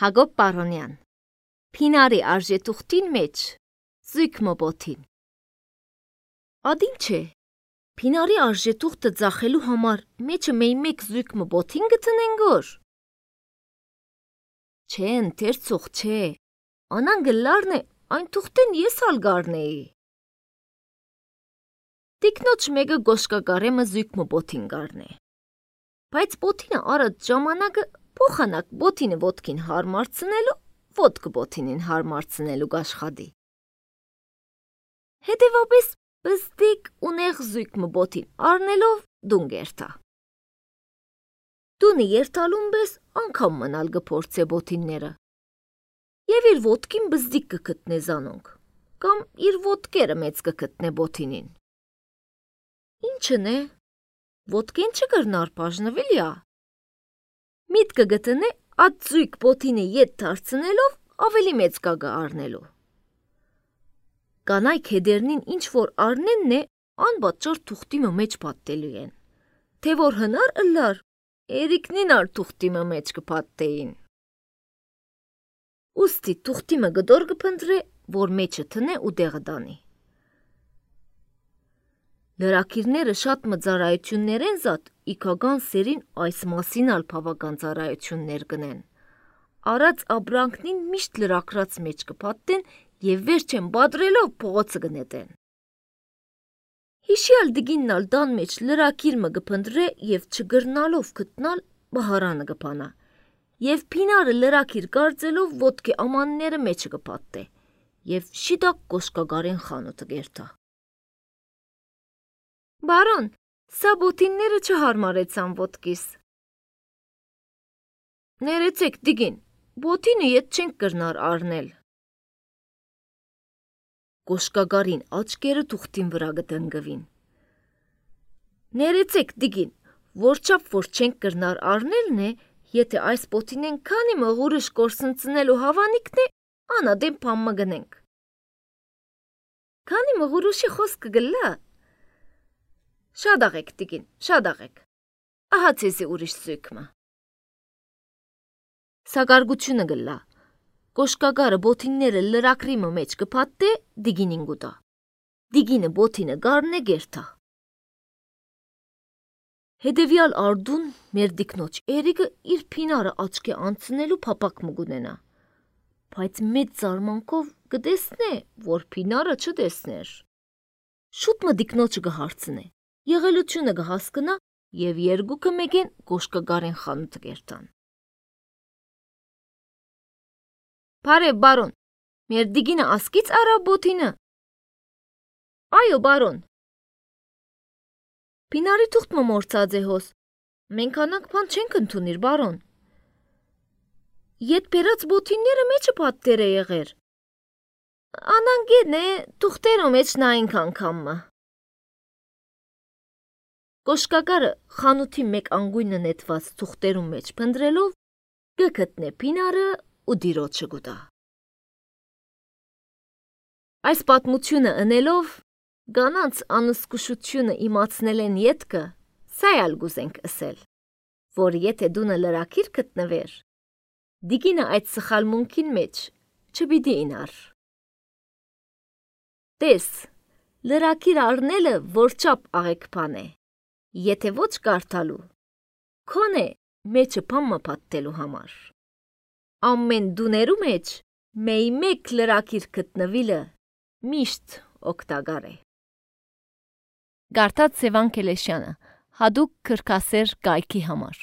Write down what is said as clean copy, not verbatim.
Հակոբ Պարոնյան, Փինարի արժետուղթին մեջ զույգ մոբոթին։ Ադին չէ, Փինարի արժետուղթը ծախելու համար մեջը մեկ զույգ մոբոթին գտնեն գոր։ Չէ, ընթերցող չէ, անան գլարն է, այն թուղթեն ես ալ գարնեի։ Տիկնոջ մեկը գոշկագարեմը զույգ մոբոթին գարնե։ Բայց բոթինը արդ ժամանակը փոխանակ բոթինը ոտքին հարմարցնելու, ոտքը բոթինին հարմարցնելու գաշխադի։ Հետևապես բստիկ ունեղ զույգ մոբոթին առնելով դուն գերտա։ Դունը երթալուն բես անգամ մնալ գփորձե բոթինները։ Եվ իր ոտքին բզդիկ կգտնե զանոնք, կամ իր ոտքերը մեծ կգտնե բոթինին։ Ինչն է, ոտքեն չկրնար բաժնվիլյա։ Միտքը գտնե այդ զույգ բոթինը ետ դարձնելով ավելի մեծ գագը առնելու։ Կանայք հետերնին ինչ որ առնենն է, անբաճար թուղթիմը մեջ պատտելու են, թե որ հնար ըլլար, երիկնին ար թուղթիմը մեջ կպատտեին։ Ուստի թուղթիմը գդոր կփնտրե, որ մեջը տնե ու դեղը դանի։ Լրակիրները շատ մծարայություններ են զատ, իքագան սերին այս մասին ալ բավական ծարայություններ գնեն։ Արած աբրանքնին միշտ լրակրած մեջ կպատտեն և վերջեն բադրելով փողոցը գնետեն։ Հիշյալ դգինն ալ դան մեջ լրակիրմը գփնտրե և չգրնալով գտնալ բահարանը գպանա, և Փինարը լրակիր կարծելով ոտքի ամանները մեջը կպատտե, և շիդակ գոշկագարեն խանութը գերտա։ Բարոն, սա բոթինները չհարմարեցան ոտքիս։ Ներեցեք դիգին, բոթինը ետ չենք կրնար առնել։ Գոշկագարին աչկերը թուղթին վրա գտնգվին։ Ներեցեք դիգին, որչապ որ չենք կրնար առնելն է, եթե այս բոթինեն քանի մղուրշ կորսնցնելու հավանիքն է, անադեմ պամմը գնենք։ Քանի մղուրուշի խոսքը գլա։ Շատ աղեք տիկին, շատ աղեք, ահա ձեզի ուրիշ զույգմը։ Սագարգությունը գլա, գոշկագարը բոթինները լրակրիմը մեջ կպատտե, դիգինին գուտա, դիգինը բոթինը գարնե գերտա։ Հետևյալ արդուն մեր դիկնոջ էրիկը իր Փինարը աչքի անցնելու փապակ մգունենա, բայց մեծ զարմանքով կտեսնե, որ Փինարը չտեսներ։ Շուտ մը դիկնոջը կհարցնե, եղելությունը կհասկնա և երկուքը մեկեն գոշկագարեն խանութը գերտան։ Բարև, բարոն, մեր դիգինը ասկից արա բոթինը։ Այո, բարոն։ Փինարի թուղթը մորցած է հոս, մենք անանք բան չենք ընդունիր, բարոն։ Ետ բերած բոթինները մեջը պատտեր է եղեր։ Անանգեն է, թուղթերո մեջ նայինք անգամը։ Գոշկագարը խանութի մեկ անգույնը նետված թուղթերում մեջ փնտրելով կգտնե Փինարը ու դիրոջը գուտա։ Այս պատմությունը ընելով գանանց անզգուշությունը իմացնել են ետքը, սայալ գուզենք ասել, որ եթե դունը լրակիր գտնվեր, դիգինը այդ սխալմունքին մեջ չպիտի ինար։ Տես, լրակիր առնելը որչապ աղեքբան է, եթե ոչ կարդալու, քոնե մեջը պամմը պատտելու համար։ Ամեն դուներու մեջ մեկ լրակիր գտնվիլը միշտ օգտակար է։ Գարտած Սևան Քելեշյանը, հադուկ քրքասեր կայքի համար։